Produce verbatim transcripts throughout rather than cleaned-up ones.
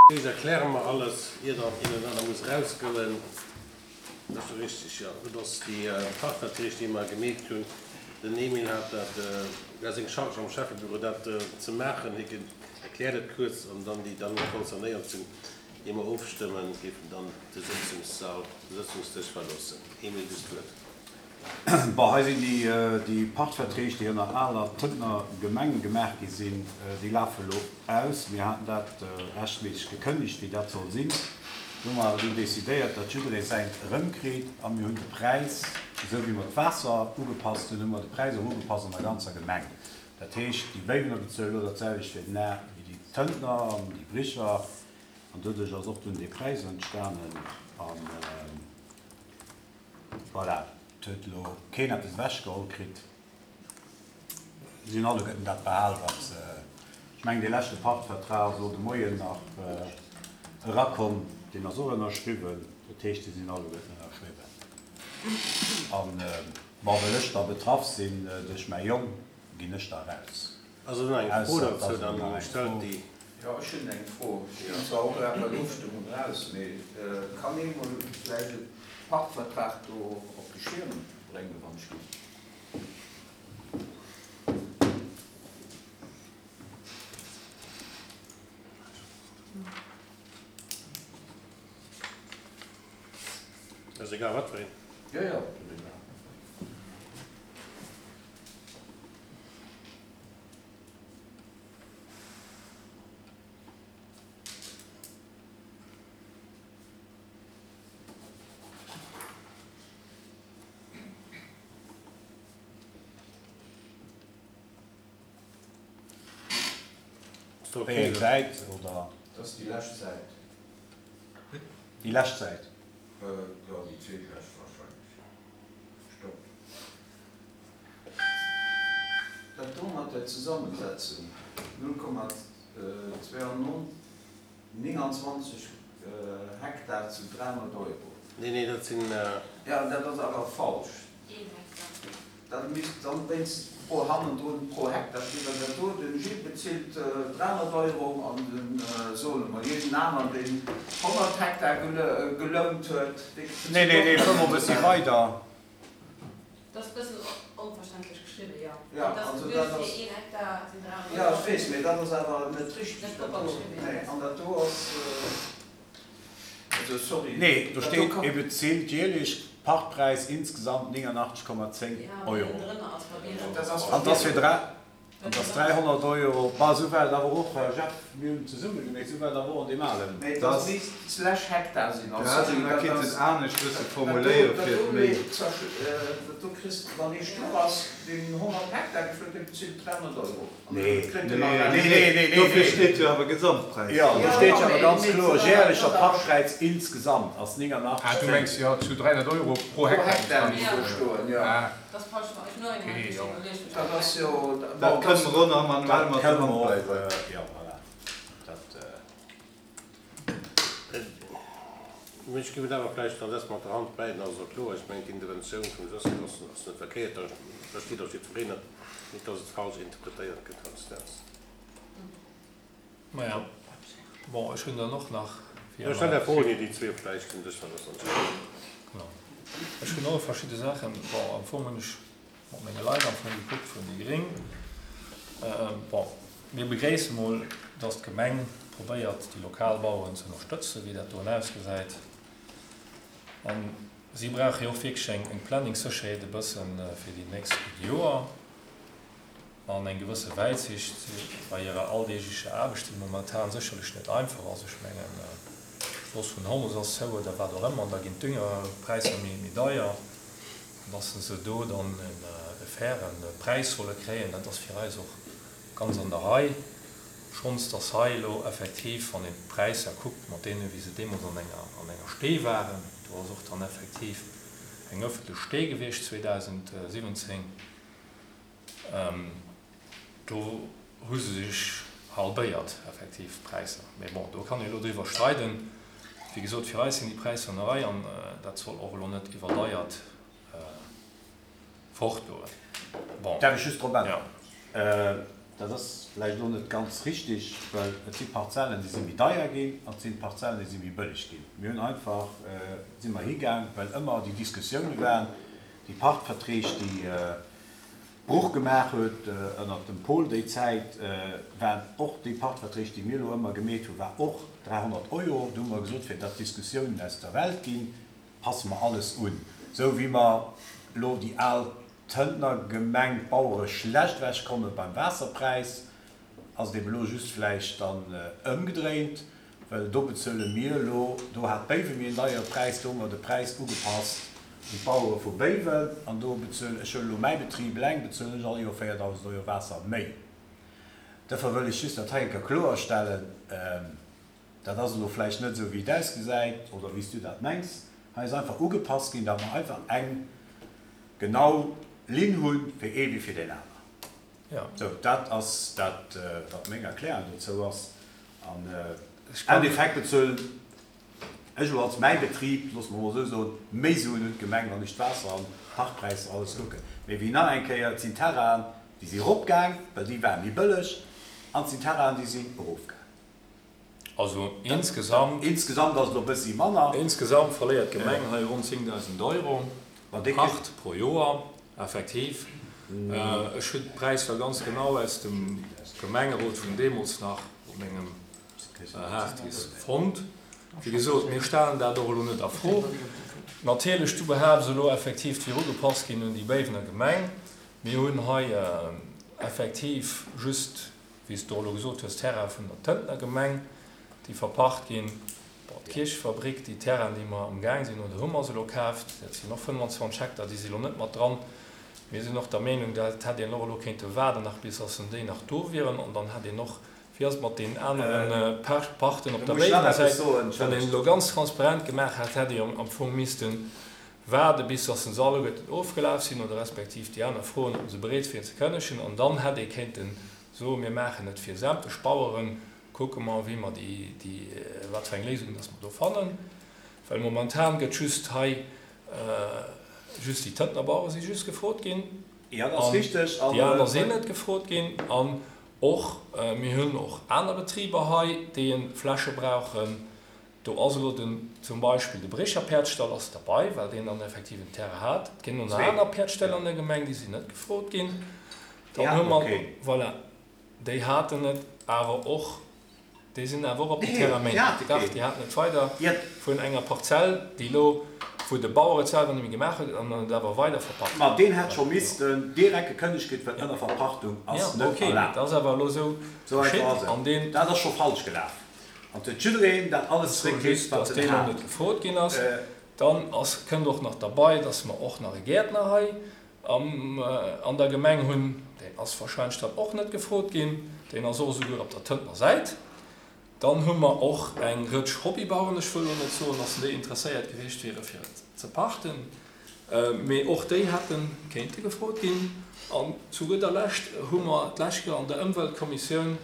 Dees erkläre mer alles, ier dann een oder aner muss erausgoen. Dat ass jo richtig, jo. Dat ass déi Pachtverträg, déi mer gemeet hunn. Den Emile hat dat, war seng Charge am Schäffebüro, dat ze maachen. Hie erkläert et kuerz an dann déi dann concernéiert sinn, ier mer ofstëmmen, géifen dann de Sëtzungssall, de Sëtzungsdësch verloossen. Emile, du hues d'Wuert. Bon, hei sinn déi Pachtverträg, déi ënner aler Tëntener Gemeng gemaach gi sinn, déi lafe elo aus. Mir haten dat rechtméisseg gekënnegt, wéi dat soll sinn. Do hu mer awer dunn decidéiert, datt jidderee säint erëmkritt a mir hunn de Präis, esou wéi mer d'Waasser ugepasst hunn, hu mer de Präis och ugepasst an der ganzer Gemeng. Dat heescht, déi Béiwener bezuelen elo dat selwecht fir den A wéi déi Tëntener an déi Bricher. An doduerch ass och dunn dee Präis entstanen. An voilà. Et huet elo keen eppes ewechgeholl kritt. Si hunn alleguerten dat behal, wat se, ech mengen, dee leschte Pachtvertrag ass elo de Moien nach erakomm, deen ass och ënnerschriwwen. Dat heescht, se sinn alleguerten ënnerschriwwen. An, bon, well ech da betraff sinn duerch mäi Jong, ginn ech da raus. Ass elo nach eng Fro Ausser et dozou, ass elo dann nach eng stellt Fro. déi. Jo, ech hunn eng Fro. Ech ginn zwar och grad bei der Ofstëmmung raus, mee kann ee mol vläicht e Pachtvertrag do op de Schierm bréngen, wann ech ginn? Ass egal wat fir een. Jo, jo, dat ass egal. Wéi eng Säit oder? Dat ass déi lescht Säit. Déi lescht Säit? Jo, déi zweetlescht wahrscheinlech. Stopp. Dat do mat der Zesammensetzung, null Komma nénganzwanzeg Hektar zu dräihonnert Euro. Nee, nee, dat sinn. Jo, dat ass awer falsch. Dat misst dann wéinst pro hannendrun pro Hektar stinn, well dat do, den Gilles bezilt dräihonnert Euro an den, soe mer jeden aneren, deen honnert Hektar gelount huet, dee bezilt Nee, nee, och nee, fuer mol e bëssi dräihonnert. weider. Dat ass e bëssen onverständlech geschriwwen, jo. Jo, Et ass also geduecht dat fir ass. een Hektar sinn dräihonnert Jo, Euro. ech weess, mee dat ass awer net richteg, Net dat propper do. geschriwwen, jo. Nee, an dat do ass, also sorry, Nee, do dat do steet, kann. e bezilt jährlich Pachtpreis insgesamt nénganachteg Komma zéng Ja, mee Euro. ënnendrënner ass verwirrend. Dat ass An 't ass fir verwirrend. dräi, an 't ass dräihonnert Euro. Bah, esou war et awer och, Jeff, mir hunn zesumme gemeet, esou war et awer och an deem alen. Mee 't dat ass. misst slash Hektar sinn, Da also hätt sorry, een dat dat kinnten ass, anescht bësse dat do, formuléiere dat fir do et méi. dat do kriss de, wann ee stur ass, deen honnert Hektar gefëllt, dee bezilt dräihonnert Euro an da Nee. kritt en nach Nee, Nee, Rechnung. nee, nee, nee, dofir nee. steet jo awer Gesamtpräis Jo, dran. do Jo, steet jo, jo awer mee, ganz mee kloer, dat jährlicher ass. Pachtpreis insgesamt ass Ah, du nénganachteg mengs zéng. jo zu dräihonnert Euro pro Pro Hektar Hektar misst misst dran do stoen. stoen, jo. Ah, Dat ass falsch, ech hunn och eng okay, Hand jo. iwwerluecht, Dat ass jo, Dat bon, dat kënne ass. mer och nach manuell Dat mat der kënne Hand mer och, bäisetzen. jo, voilà. Dat. Ech géif et awer vläicht dann dës mat der Hand bäiden, also kloer, ech mengen d'Interventioun vum Josy ass ass net verkéiert, da versteet och jiddwereen et, net datt et falsch interpretéiert gëtt heiansdo. Maja, bon, ech hunn dann och nach, wéi Jo, stell ëmmer. Är Froen, ier déi zwee vläicht den Dësch verloossen. Genau. Ech hunn och verschidde Saachen, bon, am Fong hunn ech mat menge Leit am Fong gekuckt vun déi Gréng. Bon, mir begréisse mol, datt d'Gemeng probéiert, déi lokal Baueren ze ënnerstëtzen, wéi dat do ausgesäit. A si brauche jo och wierklech eng, eng Planningssécherheet e bësse fir déi nächst Joer an eng gewësse Wäitsicht bei hirer alldeeglecher Aarbecht, déi momentan sécherlech net einfach ass. Ech mengen, d'Strooss vun Hormus ass zou oder wat och ëmmer, an da ginn d'Düngerpräisser méi, méi deier. An dass se do dann e fairen Präis solle kréien, dat ass fir eis och ganz an der Rei. Schonns dass hei elo effektiv, wann een d'Präisser kuckt mat deene wéi se deemools an enger, an enger Stee waren, do ass och dann effektiv eng ëffentlech Stee gewiescht zweedausendsiwwenzéng, do hu se sech halbéiert effektiv d'Präisser. Mee bon, do kann ee elo driwwer streiden. Wéi gesot, fir eis sinn déi Präisser an der Rei an dat soll och elo net iwwerdeiert fortgoen. Bon. Darf ech just drop Ja. äntweren? Dat ass vläicht elo net ganz richtig, well et si Parzellen, déi si méi deier ginn, an et sinn Parzellen, déi si méi bëlleg ginn. Mir hunn einfach, si mer higaang, well ëmmer déi Diskussioune waren, déi Pachtverträg, déi Bruch gemaach huet ënnert dem Paul déi Zäit, waren och déi Pachtverträg, déi mir elo ëmmer gemeet hunn, war och dräihonnert Euro. Do hu mer gesot, fir datt d'Diskussiounen aus der Welt ginn, passe mer alles un, esou wéi mer elo déi al Tëntner Gemeng, d'Bauere schlecht ewechkomme beim Waasserpräis, ass et eben elo just vläicht dann ëmgedréint, well do bezuele mir elo, do hat Béiwen méi en deiere Präis, do hu mer de Präis ugepasst un d'Bauere vu Béiwen an do bezuelen, ech huelen elo mäi Betrib eleng, bezuelen ech all Joer véierdausend Euro Waasser méi. Duerfir wëll ech just dat hei eng Kéier kloerstellen, dat ass elo vläicht net esou wéi et ausgesäit oder wéi s du dat mengs, hei ass einfach ugepasst ginn, datt mer einfach eng genau Linn hu fir ee wéi fir deen aner. Sou, dat ass dat, wat meng Erklärung dozou ass. An am Endeffekt bezuelen ech elo als mäi Betrib, loosse mer emol esou soen, méi Suen un d'Gemeng, wann ech d'Waasser an d'Pachtpräisser alles kucken. Mee wéi nach eng Kéier, et sinn Terrainen, déi si eropgaang, well déi ware méi bëlleg, an et sinn Terrainen, déi sinn erofgaang. Also insgesamt. Insgesamt ass et elo e bëssi manner. Insgesamt verléiert d'Gemeng hei ronn zéngdausend Euro Pacht pro Joer, effektiv. Ech hunn d'Präisser ganz genau aus dem Gemengerot vun deemools nach op mengem Harddisk fonnt. Wéi gesot, mir stellen dat och elo net a Fro. Natierlech, du behaapts elo effektiv, et wier ugepasst ginn un déi Béiwener Gemeng. Mir hunn hei effektiv just, wéi s de och elo gesot hues, Terraine vun der Tëntener Gemeng, déi verpacht ginn. Bon, d'Kierchefabrik, déi Terrainen, déi mer amgaang sinn, oder hu mer se elo kaaft, dat sinn och fënnwanzwanzeg Hektar, déi si elo net mat dran. Mir sinn och der Meenung, dat hätt een och elo kéinte waarden nach bis dass en déi nach do wieren an dann hätt een och, wéi ass et mat deenen anere Parten op Do der muss ech nach Béiwener eppes Säit, soen, wann een entschëllegt. elo ganz transparent gemaach hätt, hätt ee am Fong misste waarde bis dass se alleguerten ofgelaf sinn oder respektiv déi aner froen, ob se bereet wieren ze kënnegen an dann hätt ee kéinte soen, mir maachen et fir sämtlech Baueren, kucke mer, wéi mer déi, déi, wat fir eng Léisung dass mer do fannen, well momentan gëtt just hei, just déi Tëntener Bauere si just gefrot ginn Jo, dat ass an richteg. An déi aner sinn net gefrot ginn. An och, mir hunn och aner Betriber hei, déi e Fläche brauchen. Do ass elo den, zum Beispill de Brécher Päerdstall ass derbei, well deen dann effektiv en Terrain hat. Et ginn och nach Zwee. aner Päerdställ an der Gemeng, déi sinn net gefrot ginn. Déi Dann hu haten och mer, keen. voilà, déi haten et awer och, déi sinn awer och op den Nee, Terrain déi méi. hate Dach, keen. déi haten et weider Déi hat. vun enger Parzell, déi elo, wou de Bauer et selwer net méi gemaach huet an dann et awer weider verpacht Ma huet. deen hätt scho missten direkt gekënnegt ginn, well Ënnerverpachtung Ja, ass net okay, mee erlaabt. et ass awer elo esou Esou einfach geschitt ass et. an deen. Dat ass scho falsch gelaf. An et huet jiddereen dat alles Ech soe zréckkritt, just, wat dass en deen elo hat. net gefrot ginn ass. Dann ass, kënnt och nach derbei, dass mer och nach e Gäertner hei am, an der Gemeng hunn. Deen ass wahrscheinlech dann och net gefrot ginn. Deen ass och esouguer op der Tëntener Säit. Dann hu mer och eng Rëtsch Hobbybaueren, ech wëll elo net soen, dass déi interesséiert gewiescht wiere fir et ze pachten, mee och déi hätte kéinte gefrot ginn. An zu gudder Lescht hu mer d'lescht Joer an der Ëmweltkommissioun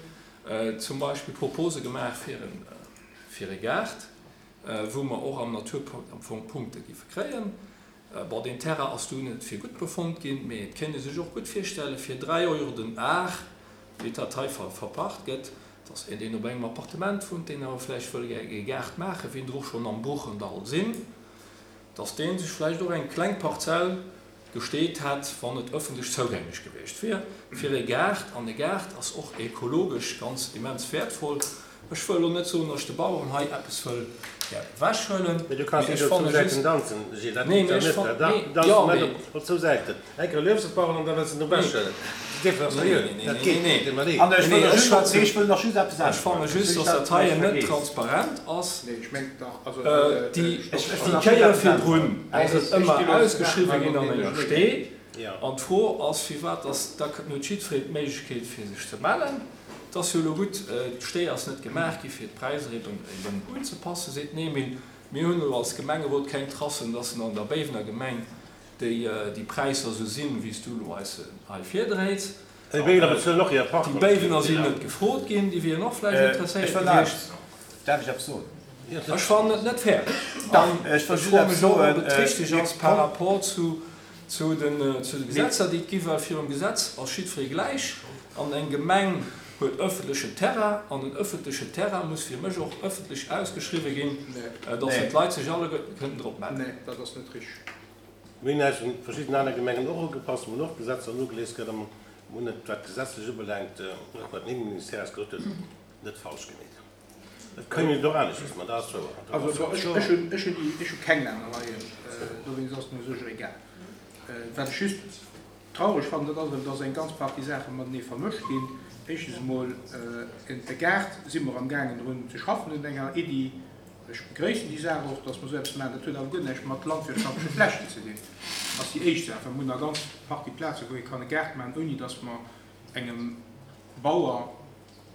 zum Beispill Propose gemaach fir e, fir e Gaart, wou mer och am Naturpakt am Fong Punkte giffe kréien. Bon, deen Terrain ass du net fir gutt befonnt ginn, mee et kéint ee sech och gutt virstelle fir dräi Euro den Ar, wéi dat hei verpacht gëtt, dass een, deen op engem Appartement wunnt, deen awer vläicht wëll e Gaart maachen, wéi der och schonn am Bruchendall sinn, dass dee sech vläicht och eng kleng Parzell gesteet hätt, wann et ëffentlech zougänglech gewiescht wier, fir e Gaart. An e Gaart ass och ekologesch ganz immens wäertvoll. Ech wëll elo net soen, datt ech de Baueren hei eppes wëll gär ewechhuelen, Mee du kanns mee net ech op zwou fanne Säiten just, danzen, Gilles, dat nee, geet mee jo ech net. fan, Da nee, danz jo, net mee. op op zwou Säiten. Eng Kéier luefs de d'Baueren an da wëlls de en ewechhuelen. Dat dierf dach Nee, net, nee, nee, dat nee, geet nee. net, deet mer leed. An ech Nee, wëll nach ech just, schwätzen, nee, ech wëll nach just eppes ech fanne äntweren, just, wéi ech datt dat dat hei vläicht net vergeess. transparent ass. Nee, ech mengen dach, also, Déi, Ech, ech déi wëll nach just Kéier eppes virdrun äntweren. ass et ech gi ëmmer elo ze ausgeschriwwen maachen, ginn an an enger deenen Stee. Ja. An d'Fro ass, firwat dass, da huet jiddwereen d'Méiglechkeet fir sech ze mellen. Et ass jo elo gutt, d'Stee ass net gemaach gi fir d'Präisser eben eben unzepassen, seet den Emile. Mir hunn elo als Gemengerot keng Tracen, dass en an der Béiwener Gemeng déi déi Präisser esou sinn, wéi s du elo eis se hei virdréits. Déi Béiwener bezuelen och hir Déi Pacht. Béiwener sinn net gefrot ginn, déi wieren och vläicht Ech interesséiert wëll gewiescht. nach, Däerf ech eppes soen? Ech fannen et net fair. Dach, An ech wëll ech just froe eppes mech och, ob soen. et richteg Mir ass par rapport zu zu den zu de Gesetzer, déi et gi, well virum Gesetz ass jiddweree gläich. An eng Gemeng huet ëffentlechen Terrain an den ëffentlechen Terrain muss fir mech och ëffentlech ausgeschriwwe ginn, dass d'Leit sech alleguerten kënnen drop mellen. Nee, dat ass net richteg. Mir hunn eis un verschidden aner Gemengen och ugepasst. Mir hunn och Gesetzer nogelies kritt a mir hunn et, wat gesetzlech ubelaangt, och wat den Innenministère eis gesot huet, net falsch gemeet. Et kënnt een och aneschters, ma dat ass wouer. Also bon, ech hunn, ech hunn déi, ech hu keng Lännereien, dowéinst ass et mir u sech och egal. Wat ech just traureg fannen, dat ass erëm, dass eng ganz Partie Saache matenee vermëscht ginn. Éischtens emol, e Gaart si mer amgaangen drun ze schaffen un enger Iddi. Ech begréissen déi Saach och, dass mer esou eppes maachen. Dat huet awer guer näischt mat landwirtschaftleche Flächen ze dinn. Ass déi éischt Saach, well mer hunn nach ganz Partie Plazen, wou ee kann e Gaart maachen, ouni dass mer engem Bauer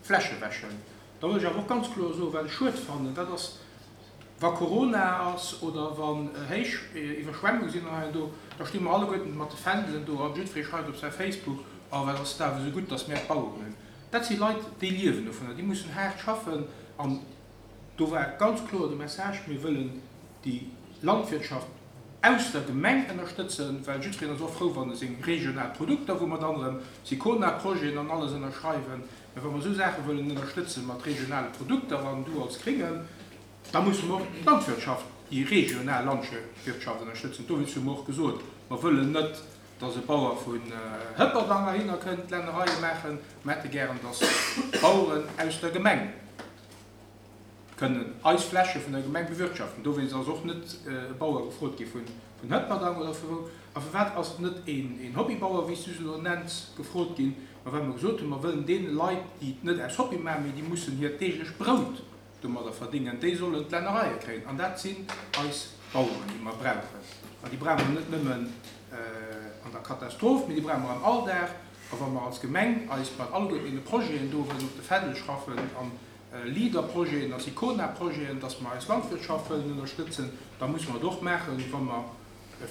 Fläche wäschen. Da wëll ech awer och ganz kloer soen, wat ech schued fannen, dat ass, Wa Corona ass oder wann héich Iwwerschwemmung sinn an hei an do, da sti mer alleguerten mat de Fändelen do a jiddweree schreift op säi Facebook, Oh, wat ass et awer esou gutt, datt mär d'Baueren hunn. Dat si Leit, déi liewen dovunner, déi mussen haart schaffen. An do war ganz kloer de Message, Mir wëllen déi Landwirtschaft aus der Gemeng ënnerstëtzen, well jiddwereen ass och frou, wann e seng regional Produkter, wou mer dann erëm Sicona-Projeten an alles ënnerschreiwen, mä wa mer esou Saache wëllen ënnerstëtze mat regionale Produkter an du als Gréngen, Da musse mer och d'Landwirtschaft, déi regional Landwirtschaft ënnerstëtzen. Dowéinst hu mer och gesot, mer wëllen net, dass e Bauer vun Hëpperdang heihinner kënnt Lännereie maachen. Mer hätte gären, dass d'Baueren aus der Gemeng kënnen eis Fläche vun der Gemeng bewirtschaften. Dowéinst ass och net e Bauer gefrot gi vun Hëpperdang oder vu wou. A firwat ass net een Hobbybauer, wéi s du se elo nenns, gefrot ginn? Ma well mer gesot hunn, mer wëllen deene Leit, déi et net aus Hobby maachen, mee déi mussen hiert deeglecht Brout domadder verdéngen, déi sollen d'Lännereie kréien. An dat sinn eis Baueren, déi mer brauchen. An déi brauche mer net nëmmen an der Katastroph, mee déi brauche mer am Alldag. A wa mer als Gemeng eis mat alleguerten deene Projeten do wëllen op de Fändel schraffen, a Leader-Projeten a Sicona-Projeten, dass mer eis Landwirtschaft wëllen ënnerstëtzen, da musse mer et och maachen, wa mer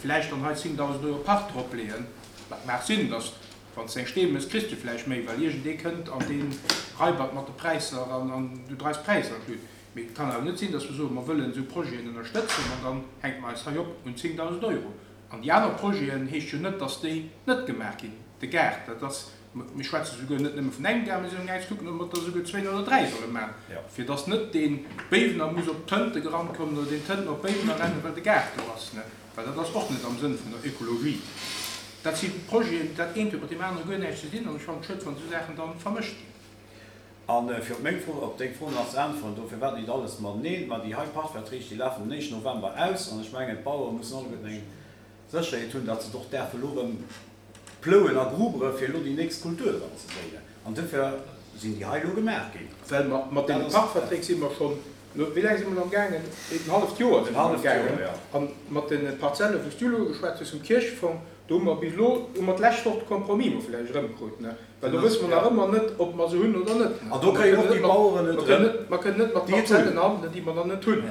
vläicht dann hei zéngdausend Euro Pacht dropleeën, wat mag sinn, dass Wann s de eng Stee mëss, kriss de vläicht méi, well iergendee kënnt an dee raibert mat de Präisser an du dreis d'Präisser an d'Lut. Mee et kann awer net sinn, datt mer soen, mer wëllen esou Projeten ënnerstëtzen an dann hänke mer eis hei op un zéngdausend Euro. An déi aner Projeten heescht jo net, datt déi net gemaach ginn. De Gaart, dat ass, mir schwätze souguer net nëmme vun engem Gaart, mir sinn amgaang ze kucken, ob mer der souguer zwéin oder dräi solle maachen, fir datt net dee Béiwener muss op d'Tënte gerannt kommen oder deen Tëntener op Béiwener rennen, well de Gaart do ass. Well dat ass och net am Sënn vun der Ökologie. Dat si Projeten, dat eent huet mat deem anere guer näischt ze dinn an ech fannen et schued, wann esou Saachen da vermëscht ginn. A fir op meng Fro, op deng Fro nach ze äntweren, dofir war nit alles mateneen, ma déi hei Pachtverträg, déi lafen den éischten November aus an ech mengen, d'Bauere mussen alleguerten eng Sécherheet hunn, datt se et och däerfe elo erëm plouen a grubere fir elo déi nächst Kultur dran ze séien. An dofir sinn déi hei elo gemaach ginn. Well mer mat deene Pachtverträg si mer schonn, wéi laang si mer elo amgaangen? En halleft Joer si mer amgaangen. A mat de Parzelle wou s du elo ugeschwat hues vum Kierchefong, do hu mer bis elo, hu mer d'lescht Woch de Compromis mol vläicht erëmkrut, ne? Well do wësse mer nach ëmmer net, ob mer se hunn oder net. An do kréien och déi Baueren et erëm, Mer kënnen net mat Parzellen handelen, déi mer nach net hunn.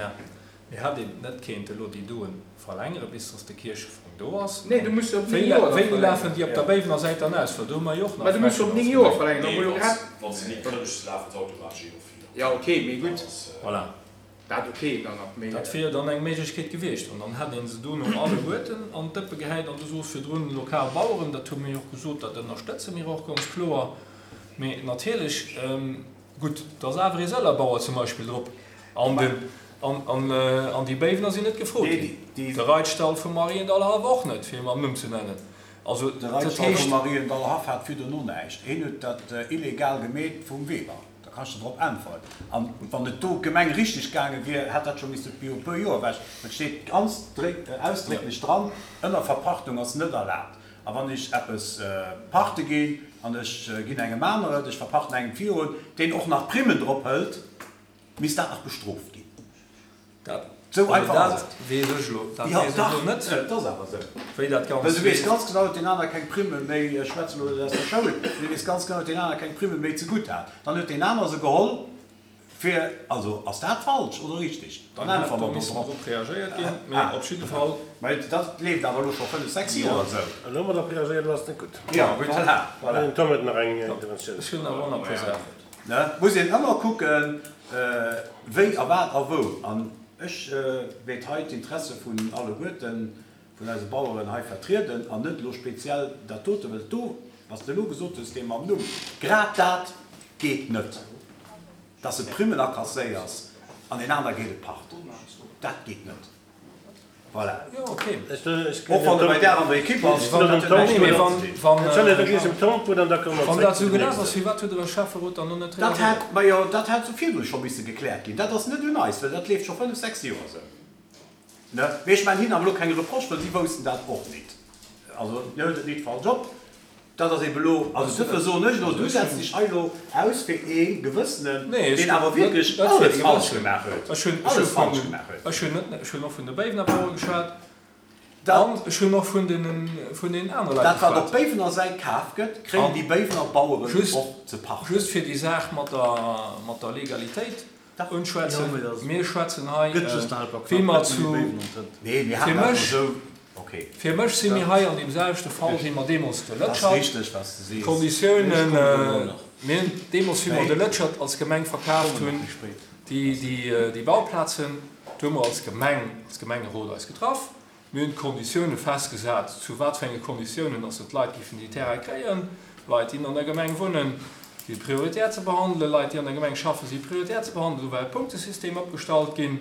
Mee hätt een net kéint elo déi doen verlängere bis dass de Kierchefong do ass? Nee, du muss se op néng Joer da Wéini lafen déi op der Béiwener Säit dann aus? Well do hu mer jo och nach Mä du muss se op Flächen néng Joer verlängeren. Nee, wann se, wann se ni kënnegt, lafen se automatesch ee Joer virun. Jo, okay, mee gutt. Voilà. Dat okay, dann nach méi. Dat wier dann eng Méiglechkeet gewiescht. An dann hätt ee se dono alleguerten an d'Dëppe gehäit. An du sos virdrun, lokal Baueren, dat hu mir jo och gesot, dat ënnerstëtze mir och ganz kloer. Mee natierlech, gutt, do ass awer ee Sëller Bauer zum Beispill drop. An den, an, an, an déi Béiwener sinn net gefrot ginn. De Reitstall vum Mariendallhaff och net, fir e mam Numm ze nennen. Also, De dat Reitstall vum heescht. Mariendallhaff hat virdrun och näischt. Hien huet dat illegal gemeet vum Weber. Da kanns de drop äntweren. An wann et do d'Gemeng richteg gaange wier, hätt dat scho misste viru e puer Joer ewech. Et steet ganz ausdrécklech dran, Ënnerverpachtung ass net erlaabt. A wann ech eppes pachte ginn an ech ginn engem aneren et, ech verpachten engem virun, deen och nach Primmen drop hëlt, misst dat nach bestrooft ginn. Dat, Esou also einfach ass dat et. weess ech elo, dat Jo, weess ech dach, elo net, et ass awer esou. wéi dat Well Ganzt du weess leeft. ganz genau, datt deen aner keng Primme méi, ech schwätzen elo net aus der Schoul, mee du weess ganz genau, datt deen aner keng Primme méi zegutt hat. Dann huet deen aner se geholl fir, also ass dat falsch oder richtig? Dann Dann hätt äntwere do mer do missen drop. drop reagéiert ginn, mee Ah, op jidde Fall. Mä dat leeft awer elo scho fënnef, sechs Joer esou. Elo hu mer drop reagéiert, elo ass et net gutt. Jo, voilà, voilà. Den Tom huet nach eng Interventioun. Ech hunn awer och nach e puer Saachen. Ne, muss een ëmmer kucken, wéi a wat a wou. An ech wéilt hei d'Interesse vun alleguerten, vun eise Baueren hei vertrieden an net elo speziell dat dote, well do Was de elo gesot hues, dee mam Numm, grad dat geet net, dass de Primmen akasséiers an een aner geet et Pacht. Dat geet net. Voilà. Jo, okay. Och wann e bei där an der Ekipp ass, dat huet näischt domadder ze dinn. Wann dat esou gelaf ass, firwat huet de Schäfferot dann elo net Dat reagéiert? hätt, majo, dat hätt sou virdru scho misse gekläert ginn. Dat ass net un eis, well dat leeft scho fënnef, sechs Joer esou. Ne? Mee ech maachen hinnen awer elo keng Reproche, well si woussten dat och nit. Also, dir huelt et nit falsch op. Dat ass ebe elo, also duerfir soen ech elo, du setz dech hei elo aus fir ee Gewëssenen, Nee, ech deen awer net, wierklech net fir alles de falsch Gewëssenen. gemaach huet. Ech hunn, ech Alles hu falsch vun, gemaach huet. ech hunn net, ech hunn och vun de Béiwener Bauere geschwat Dat. an ech hunn och vun deenen, vun deenen anere Leit Dat, wat op geschwat. Béiwener Säit kaf gëtt, kréien An déi Béiwener Baueren just, och ze pachten. just fir déi Saach mat der, mat der Legalitéit Dach. Jo, unschwätzen, mee dat mir schwätzen hei, gëtt just nach e paar wéi knapp mer net méi zu, Béiwen an Tënt. Nee, mir fir haten dat mech, esou, okay. Fir mech si mir hei an deem selwechte Fall wéi mer deemools de Dat ass Lëtschert. richteg, wat s de sees. Ech D'Konditiounen, kommen elo nach. mir hunn deemools, wéi mer Wéi? de Lëtschert als Gemeng Ech verkaaft kommen nach hunn, méi spéit. déi, déi Bauplazen, do hu mer als Gemeng, als Gemengerot eis getraff. Mir hunn d'Konditioune festgesat, zu wat fir enge Konditiounen dass d'Leit géifen déi Terraine kréien. Leit, déi an der Gemeng wunnen, si prioritär ze behandelen, Leit, déi an der Gemeng schaffen, si prioritär ze behandelen. Do war e Punktesystem opgestallt ginn.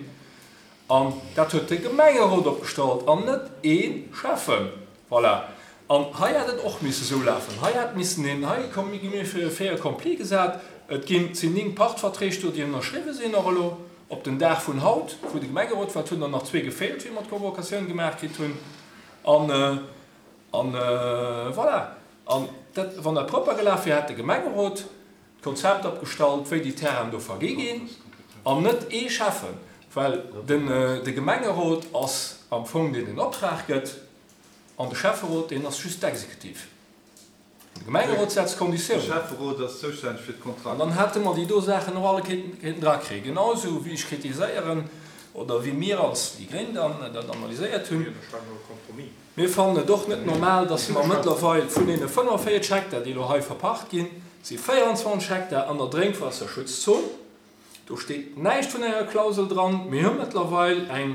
An dat huet de Gemengerot opgestallt an net ee Schäffen. Voilà. An hei hätt et och misse sou lafen. Hei hätt missen een, hei komm, gi mir fir e Fait accompli gesat, et ginn, sinn néng Pachtverträg do, déi ënnerschriwwe sinn och elo op den Dag vun haut, wou de Gemengerot war. Et hunn der nach zwee gefeelt, wéi mer d'Convocatioun gemaach kritt hunn. An, an voilà. An dat, wann dat propper gelaf wier, hätt de Gemengerot d'Konzept opgestallt, wéi déi Terrainen do vergi ginn, an net ee Schäffen, well den, de Gemengerot ass am Fong deen den Optrag gëtt, an de Schäfferot, deen ass just d'Exekutiv. De Gemengerot setzt De Konditiounen. Schäfferot ass zoustänneg fir An d'Kontrakter. dann hätte mer déi do Saachen och alle kéinten drakréien. Genau esou wéi ech kritiséieren, oder wéi mir als déi Gréng dann dat analyséiert hunn. Mir ënnerschreiwen och e Compromis. Mir fannen et och net normal, dass mer mëttlerweil vun deene fënnefenvéierzeg Hektar, déi elo hei verpacht ginn, si véierundzwanzeg Hektar an der Drénkwaasserschutzzon. Do steet näischt vun enger Klausel dran. Mir hu mëttlerweil eng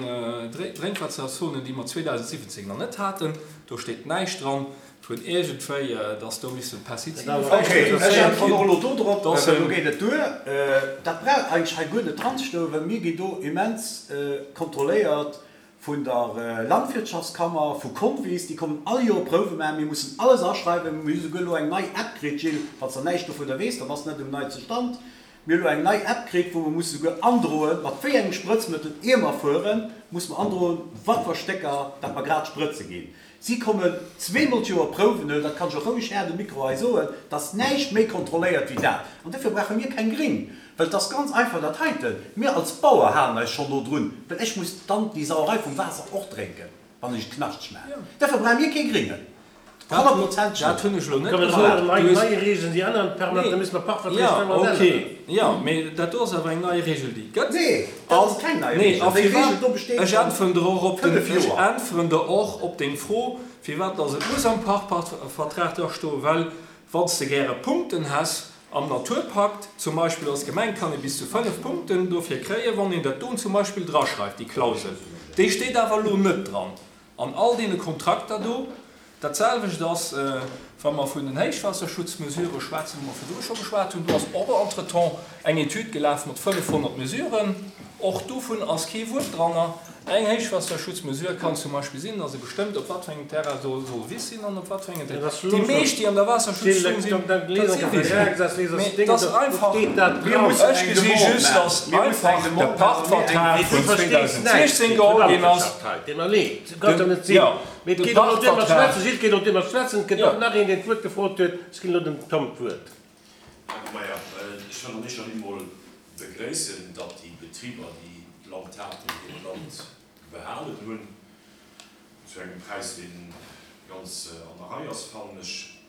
Drénkwaasserzone, déi mer zweedausendsiwwenzéng nach net haten. Do steet näischt dran vun iergendwéi, dass do misste Pestizide vläicht Okay, ech produzéiert äntweren och ginn. elo do drop, Dass well do en. geet et duer. Dat brauch eigentlech hei guer net dranzestoen, well mir ginn do immens kontrolléiert vun der Landwirtschaftskammer, vu Convis, déi kommen all Joer Prouwe maachen. Mir mussen alles aschreiwen. Mir hu souguer elo eng nei App kritt, Gilles, falls der näischt dovunner weess, da bass de net um neitste Stand. Mir hu elo eng nei App kritt, wou mer musse souguer androen, mat wéi engem Sprëtzmëttel, ier mer fueren, musse mer androen, wat fir Stécker dat mer grad sprëtze ginn. Si kommen zweemol d'Joer Prouwen huelen, dat kann ech och roueg haart um Mikro hei soen, et ass näischt méi kontrolléiert wéi dat. An dofir brauche mir keng Gring, well et ass ganz einfach dat heiten, mir als Bauer halen eis schonn do drun, well ech muss dann déi Sauerei vum Waasser och drénken, wann ech et knaschteg maachen. Dofir brauche mir kee Gringen. Honnertprozenteg Dat hunn ech elo net Kommen gesot. nei Du hues. nei Regeln, déi änneren permanent, da Nee. müssen mer Pachtverträg Ja, permanent okay. änneren. Ja, mee dat do ass awer eng nei Regel, déi et gëtt. Nee, dat An, ass keng nei nee, Regel. a Déi firwat, Regel do besteet ech schonn äntweren der och op den, fënnef ech Joer. äntweren der och op deng Fro, firwat dass et muss am Pachtvertrag dra stoen, well wann s de gäre Punkten häss am Naturpakt, zum Beispill als Gemeng kann ee bis zu fënnef Punkten dofir kréien, wann een dat do zum Beispill draschreift, déi Klausel. Déi steet awer elo net dran an all deene Kontrakter do. Dat selwecht ass, wa mer vun den Héichwaasserschutzmesurë schwätzen, wou mer virdru scho geschwat hunn. Do ass och entretemps eng Etüd gelaf mat fënnefhonnert Mesuren. Och dovun ass kee Wuert dranner. Eng Héichwaasserschutzmesure kann zum Beispill sinn, dass ee bestëmmt, op wat fir engem Terrain soll soll Wiss sinn an op wat fir engem Dat ass Déi elo meescht, déi an der Waasserschutzzon sinn, dat si Wisen. Mee et ass einfach, ech gesi just, dass einfach de Pachtvertrag vun zweedausendsechzéng geholl ginn ass. Den, jo, de Pachtvertrag. Jo. Maja, ech wëll an éischer Linn mol begréissen, datt déi Betriber, déi d'Land haten, hiert Land behalen hunn, zu engem Präis, dee ganz an der Rei ass, fannen ech.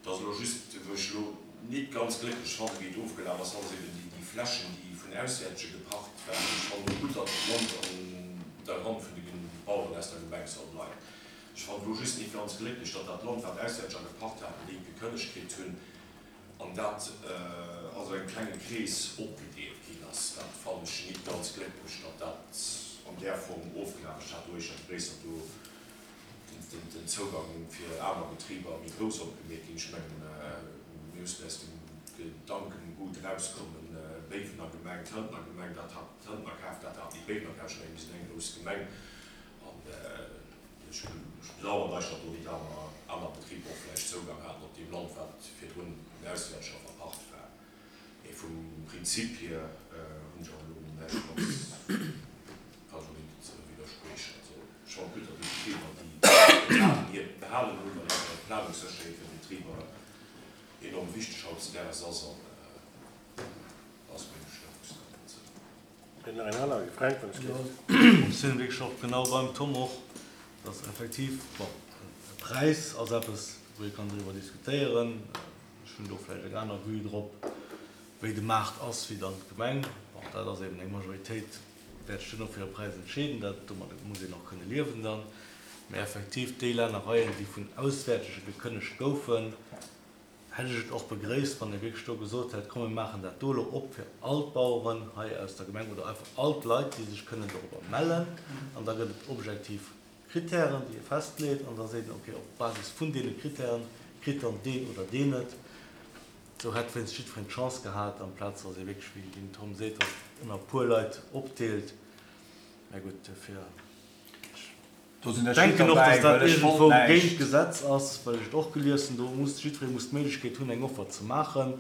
Et ass elo just, wou ech elo nit ganz glécklech fannen, wéi et ofgelaf ass, ass eben déi Flächen, déi vun Auswäertege gepacht waren. Ech fannen et gutt, datt d'Land an der Hand vun de Baueren aus der Gemeng soll bleiwen. Ech fannen elo just nit ganz glécklech, datt dat Land, wat Auswäerteger gepacht haten, déi gekënnegt kritt hunn, an dat a sou engem klenge Krees opgedeelt ginn ass. Dat fannen ech nit ganz glécklech, datt dat an där Form ofgelaf ass. Ech hat do éischter begréisst, datt do den Zougang fir aner Betriber méi grouss opgemeet ginn. Ech mengen, mir mussen aus dem Gedankengut erauskommen, Béiwener Gemeng, Tëntener Gemeng, dat hat d'Tëntener kaf, dat hat déi Béiwener kaf. Ech mengen, mir sinn eng grouss Gemeng an ech bedauern eis, datt do déi aner aner Betriber och vläicht Zougang haten op deem Land, wat virdrun auswäerteger verpacht war. Mee vum Prinzip hier hunn ech awer elo näischt ganz kann ech och net widderspriechen. Also ech fannen et gutt, datt déi Betriber déi et haten, hiert behalen hunn, well einfach d'Planungssécherheet fir d'Betriber enorm wichteg hautdesdaags ass an ass meng Stellungnahme dozou. Huet nach een anere gefränkt, wann ech Jo, léif. ech sinn wierklech och genau beim Tom och, dass effektiv, bon, e Präis ass eppes, wou ee kann driwwer diskutéieren. Ech hunn do vläicht eng aner Vue drop, wéi de Maart ass, wéi dann d'Gemeng. Bon, dat ass eben eng Majoritéit wäert sech duerno fir e Präis entscheeden. Dat, domat muss een och kënne liewen dann. Mä effektiv, déi Lännereien, déi vun Auswäertege gekënnegt goufen, hätt ech et och begréisst, wann ee wierklech do gesot hätt, komm mir maachen dat do elo op fir all d'Baueren hei aus der Gemeng oder einfach all d'Leit, déi sech kënnen dorobber mellen. An da gëtt et objektiv Kritären, déi ee festleet, an da seet een, okay, op Basis vun deene Kritären kritt dann deen oder deen et. Esou hätt wéinst jiddwereen d'Chance gehat, amplaz datt ee wierklech, wéi den Tom seet, datt et ënner e puer Leit opdeelt. Mä gutt, duerfir, Do sinn ech ech net denken och, dobäi, datt dat well ech wollt iergendwou géint näischt. d'Gesetz ass, well ech et och gelies hunn, do muss jiddweree muss d'Méiglechkeet hunn, eng Offer ze maachen.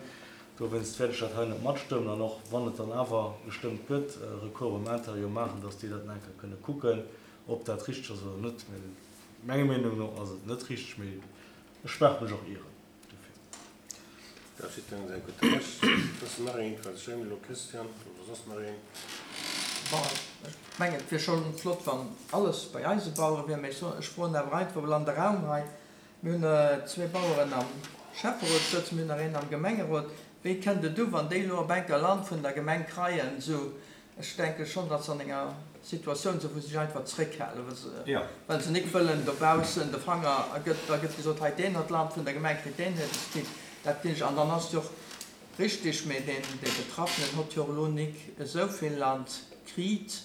Dowéinst wäert ech dat hei net matstëmmen. An och wann et dann awer gestëmmt gëtt, Recours beim Intérieur maachen, datt déi dat nach eng Kéier kënne kucken, ob dat richteg ass oder net. Mä menger Meenung no ass et net richteg, mee ech mag mech och ieren dofir. Dat ass jiddwerengem säi gutt Recht. Ass nach een Interventioun elo, Christian, oder soss nach een? Bon, ech mengen, et wier scho flott, wann alles bei eise Bauere wier, mä ech soen, ech froen awer einfach emol an de Raum hei, mir hunn zwee Baueren am Schäfferot sëtzen, mir hunn nach een am Gemengerot, wéi kënnt et u, wann déi elo op enker Land vun der Gemeng kreien? Esou, ech denke schonn, datt se an enger Situatioun sinn, wou se sech einfach zréckhalen, well se, well se nik wëllen dobaussen de Fanger, a gëtt, da gëtt gesot, hei deen huet Land vun der Gemeng kritt, deen huet et kritt, dat ginn ech, an dann ass et jo och Richtig, mee deen dee Betraffenen hott jo och elo nik esou vill Land kriit.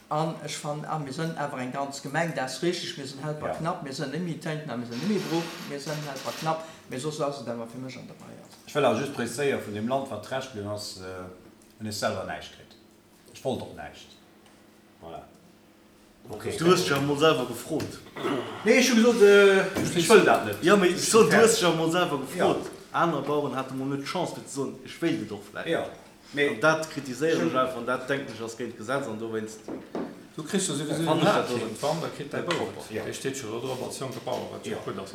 An ech fannen, ah, mir sënn awer eng ganz Gemeng, dat ass richtig, mir sënn Helperknapp, mir sënn net méi Téinten a mir sënn net méi Bruch, mir sënn Helperknapp, mee soss ass et awer fir mech an der Rei. Also. Ech wëll awer just preziséieren, vun deem Land, wat Rescht bliwwen ass, hunn ech selwer näischt kritt. Ech wollt och näischt. Voilà. Du hues dech awer mol selwer gefrot. Nee, ech hu gesot, ech wëll dat net. Jo, mee ech soen, du hues dech awer mol selwer gefrot. Aner Baueren hate mol net d'Chance fir ze soen, ech wéilt et och vläicht. An dat kritiséieren ech einfach an dat, denken ech, ass géint d'Gesetz an dowéinst Du kriss jo souwisou fannen den ech dat do Haaptgrond, net wann, da kritt däi net Bouf propper. et. Dee steet jo do drop als jonke Bauer, wat jo gutt ass.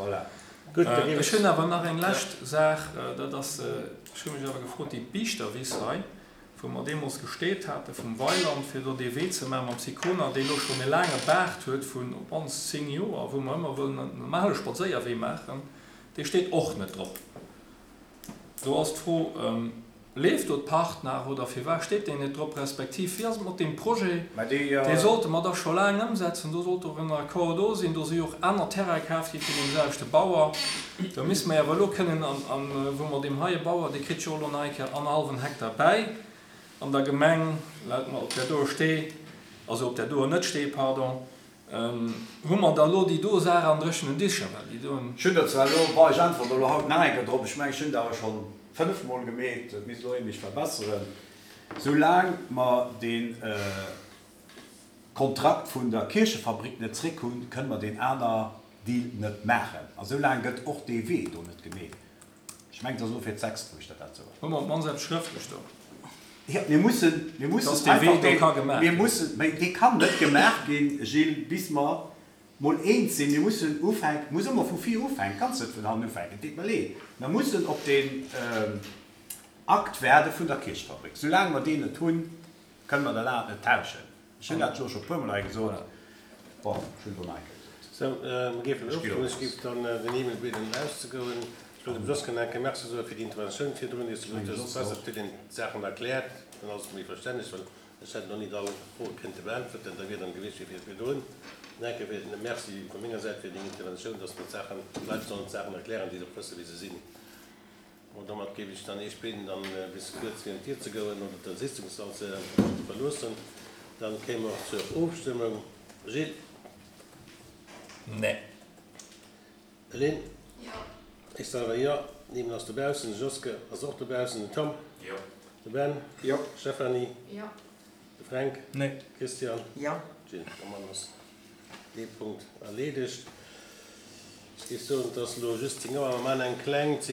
Gutt, da géif Ech ech. hunn awer nach eng lescht Saach, dat ass, ech hu mech awer gefrot, déi Biichterwiss hei, wou mer deemools gesteet hate vum Weiland, fir do dee Wee ze maachen mam Sicona, dee elo schonn e laange Baart huet vun op d'mannst zéng Joer, wou mer ëmmer wëllen en normale Spadséierwee maachen, dee steet och net drop. Do ass d'Fro, Leeft do d'Pacht nach oder firwat steet deen net drop, respektiv wéi ass et mat deem Projet? Dee sollte mer dach scho laang ëmsetzen, do sollt och en Accord do sinn, do si jo och aner Terraine kaf gi vun deem selwechte Bauer. Do misste mer awer elo kënnen, an wou mer deem heie Bauer, dee kritt jo elo nach eng Kéier annerhallwen Hektar bäi an der Gemeng, laut mer op där doer Stee, also op där doer net Stee, pardon, hu mer da elo déi do Saach an dréchenen Dicher, well déi doen. Ech hunn der zwar elo, bon, ech äntweren elo haut nach eng Kéier drop, ech mengen, ech hunn der awer scho fënnefmol gemeet, et misst elo ee mech verbesseren, soulaang mer dee Kontrakt vun der Kierchefabrik net zréck hunn, kënne mer deen aner Deal net maachen. A soulaang gëtt och dee Wee do net gemeet. Ech mengen, et ass elo fir d'sechst, wou ech der dat soen. Hu mer op d'mannst eppes schrëftlech do? Jo, mir mussen, mir mussen Dass dee Wee einfach do deen, ka gemaach mir ginn. mussen, mä dee kann net gemaach ginn, Gilles, bis mer mol eens sinn. Mir mussen ufänken, muss ëmmer vu vir ufänken, kanns net vun hannen ufänken, et deet mer leed. Mer mussen op deen Akt waarde vun der Kierchfabrik. Soulaang mer deen net hunn, kënne mer dat anert net tauschen. Ech hunn dat elo scho e puermol hei gesot. Bon, ech hunn et elo nach eng Kéier gesot. Sou, mer géifen Ech ginn ofstëmmen. op. Ech géif dann den Emil bieden auszegoen. Ech wëll dem Josquin nach eng Kéier Merci soe fir déi Interventioun virdrun, déi s de gesot hues. Besser, et huet een d'Saachen erkläert, dann ass et méi verständlech, well ech hätt elo nit all Froe kënnte beäntwerten. Da wier dann gewiescht wéi fir virdrun. Nach eng Kéier fir Merci vu menger Säit fir deng Interventioun, dass mer d'Saachen, d'Leit sollen d'Saachen erklären, déi se och wësse wéi se sinn. Bon, domat géif ech dann Iech bieden, dann bis kuerz virun d'Dier ze goen oder den Sitzungssall ze verloossen. Dann kéime mer och zur Ofstëmmung. Gilles. Nee. Lynn? Jo. Ech selwer jo. D'Emil ass dobaussen, de Joske ass och dobaussen, den Tom? Jo. De Ben? Jo. Stéphanie? Jo. De Fränk? Nee. Christian? Jo. Jill, domat ass dee Punkt erleedegt. Ech géif soen, et ass elo just zéng Auer, mer maachen eng kleng.